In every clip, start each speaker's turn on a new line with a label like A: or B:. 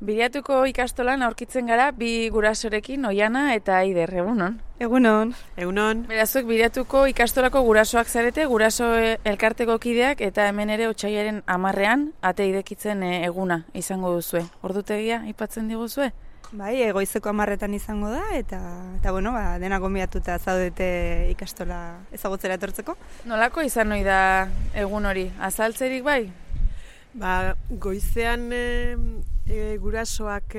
A: Biriatuko ikastolan aurkitzen gara bi gurasorekin, Oiana eta Aider, egunon?
B: Egunon.
C: Egunon.
A: Berazuek Biriatuko ikastolako gurasoak zarete, guraso elkarteko kideak eta hemen ere otsailaren 10ean ate irekitzen eguna izango duzue. Ordutegia aipatzen diguzue?
B: Bai, goizeko 10etan izango da eta bueno, dena gonbidatuta zaudete ikastola ezagutzera etortzeko.
A: Nolako izan ohi da egun hori? Azaltzerik bai?
C: Goizean gurasoak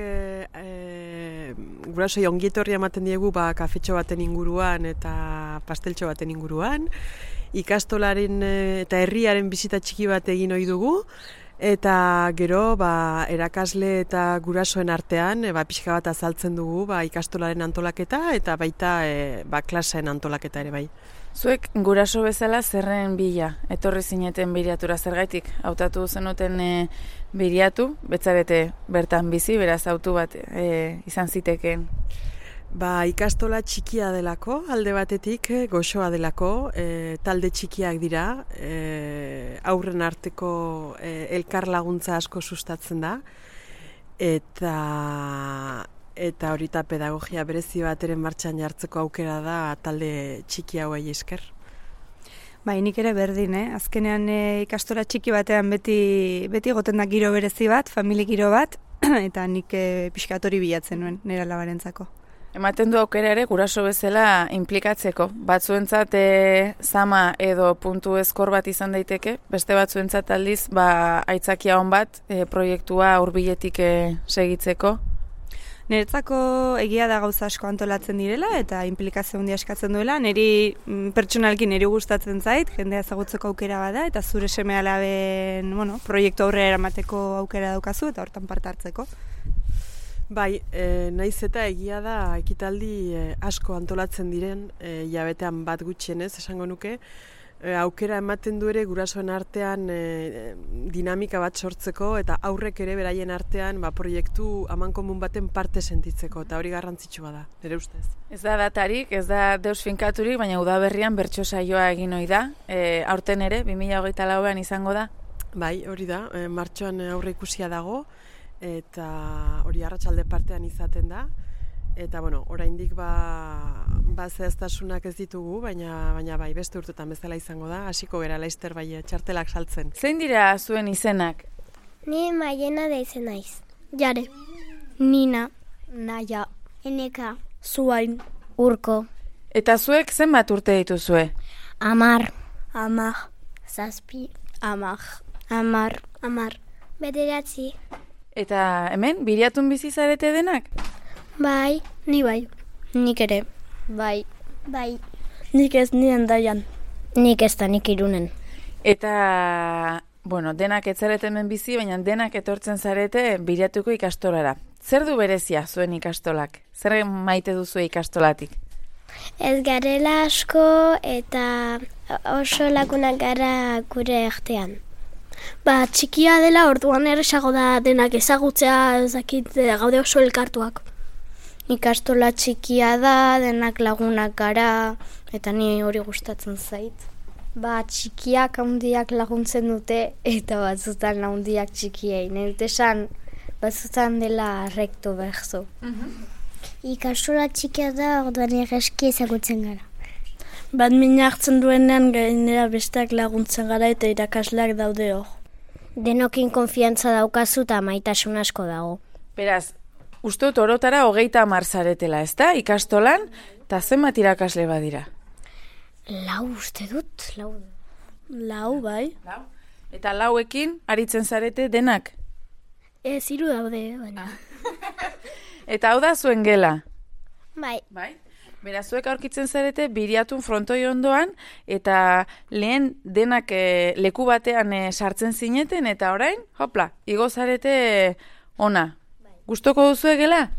C: gurasoi ongietorria ematen diegu kafetxo baten inguruan eta pasteltxo baten inguruan. Ikastolaren eta herriaren bizita txiki bat egin ohi dugu. Eta gero erakasle eta gurasoen artean pixka bat azaltzen dugu ikastolaren antolaketa eta baita klaseen antolaketa ere bai.
A: Zuek guraso bezala zerren bila etorri zineten Biriatura, zergaitik hautatu zenuten Biriatu, betzarete bertan bizi, beraz autu bat izan zitekeen.
C: Ikastola txikia delako, alde batetik, goxoa delako, talde txikiak dira, aurren arteko elkar laguntza asko sustatzen da, eta horita pedagogia berezi bateren martxan jartzeko aukera da talde txiki hauei esker.
B: Nik ere berdin, azkenean ikastola txiki batean beti goten da giro berezi bat, famili giro bat, eta nik pixkatori bilatzen nuen nire alabarentzako.
A: Ematen du aukera ere guraso bezala inplikatzeko. Batzuentzat zama edo puntu eskor bat izan daiteke, beste batzuentzat aldiz aitzakia on bat proiektua hurbiletik segitzeko.
B: Niretzako egia da gauza asko antolatzen direla eta inplikazio handia eskatzen duela. Niri pertsonalki niri gustatzen zait, jendea ezagutzeko aukera bada eta zure seme-alaben proiektu aurrera eramateko aukera daukazu eta hortan parte hartzeko.
C: Naiz eta egia da ekitaldi asko antolatzen diren, jabetean bat gutxienez esango nuke, aukera ematen du ere gurasoen artean dinamika bat sortzeko eta aurrek ere beraien artean proiektu amankomun baten parte sentitzeko eta hori garrantzitsua da, nire ustez.
A: Ez da datarik, ez da deus finkaturik, baina udaberrian bertso saioa egin ohi da, aurten ere, 2024an izango da?
C: Bai, hori da, martxoan aurre ikusia dago, eta hori arratsalde partean izaten da, eta oraindik zehaztasunak ez ditugu, baina bai, beste urtetan bezala izango da, hasiko gera laizter txartelak saltzen.
A: Zein dira zuen izenak?
D: Ni Maiena da izen naiz.
E: Jare.
D: Nina.
E: Naia.
D: Eneka.
E: Zuain.
D: Urko.
A: Eta zuek zenbat urte dituzue?
D: 10.
E: 10.
D: 7.
E: 10.
D: 10. 9.
A: Eta hemen, Biriatun bizi zarete denak?
D: Bai.
E: Ni bai.
D: Nik ere.
E: Bai.
D: Bai.
E: Nik ez ni Hendaian.
D: Nik ez da, nik Irunen.
A: Eta, denak ez zarete hemen bizi, baina denak etortzen zarete Biriatuko ikastolara. Zer du berezia zuen ikastolak? Zer maite duzu ikastolatik?
D: Ez garela asko eta oso lagunak gara gure artean.
E: Txikia dela orduan erresago da denak ezagutzea, ezakit gaude oso elkartuak.
D: Ikastola txikia da, denak lagunak gara, eta ni hori gustatzen zait.
E: Txikiak handiak laguntzen dute, eta batzutan handiak txikiei. Nire dut esan, batzutan dela rekto berzo.
D: Ikastola txikia da, orduan erreski ezagutzen gara.
E: Mina hartzen duenean gainera besteak laguntzen gara eta irakasleak daude hor.
D: Denokin konfiantza daukazu eta maitasun asko dago.
A: Beraz, uste dut orotara 30 zaretela, ezta? Ikastolan, eta zenbat irakasle badira?
D: 4 uste dut, 4.
E: 4, bai.
A: 4. Eta 4ekin aritzen zarete denak?
E: 3 daude, baina.
A: Eta hau da zuen gela?
D: Bai.
A: Beraz, zuek aurkitzen zarete Biriatun frontoi ondoan, eta lehen denak leku batean sartzen zineten, eta orain, hopla, igo zarete ona. Gustoko duzu gela?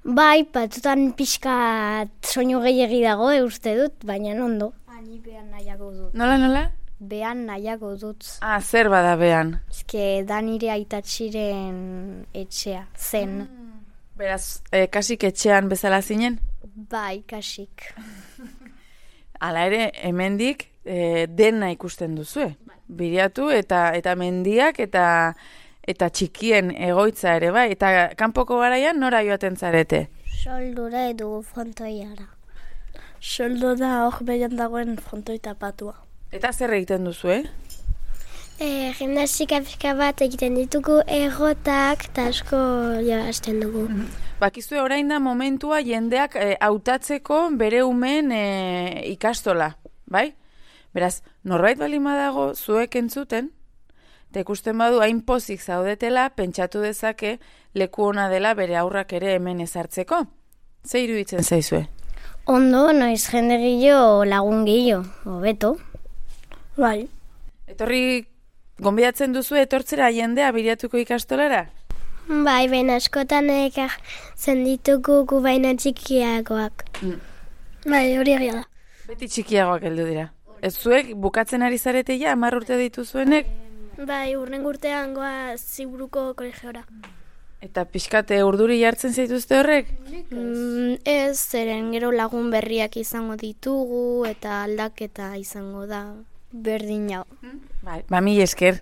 D: Bai, batzutan pixka soinu gehiegi dago, uste dut, baina ondo.
E: Ni behan nahiago dut.
A: Nola?
E: Behan nahiago dut.
A: Zer bada behan?
E: Ezke, da nire aitatxiren etxea, zen.
A: Beraz, kasik etxean bezala zinen?
E: Bai, kasik.
A: Hala ere, hemendik dena ikusten duzue. Biriatu eta mendiak eta eta txikien egoitza ere bai, eta kanpoko garaian nora joaten zarete?
E: Soldura edo frontoiara.
F: Soldo da hor behian dagoen frontoi tapatua.
A: Eta zer egiten duzu,
E: Gimnastika pixka bat egiten ditugu errotak eta asko hasten dugu.
A: Bakizue orain da momentua jendeak hautatzeko bere umeen ikastola, bai? Beraz, norbait baldin badago zuek entzuten, eta ikusten badu hain pozik zaudetela, pentsatu dezake leku ona dela bere aurrak ere hemen ezartzeko. Ze iruditzen zaizue?
E: Ondo, noiz jende gehiago lagun gehiago, hobeto.
F: Bai.
A: Etorri gonbidatzen duzu etortzera jendea biriatuko ikastolara?
E: Bai, baina askotan ekartzen ditugu gu baina txikiagoak.
F: Bai, hori egia da.
A: Beti txikiagoak heldu dira. Ez zuek bukatzen ari zarete ja, 10 urte dituzuenek?
F: Bai, urrengo urtean goa Ziburuko kolegiora.
A: Eta pixkate urduri jartzen zaituzte horrek?
E: Ez, zeren gero lagun berriak izango ditugu eta aldaketa izango da berdin hau.
A: Bai, mila esker.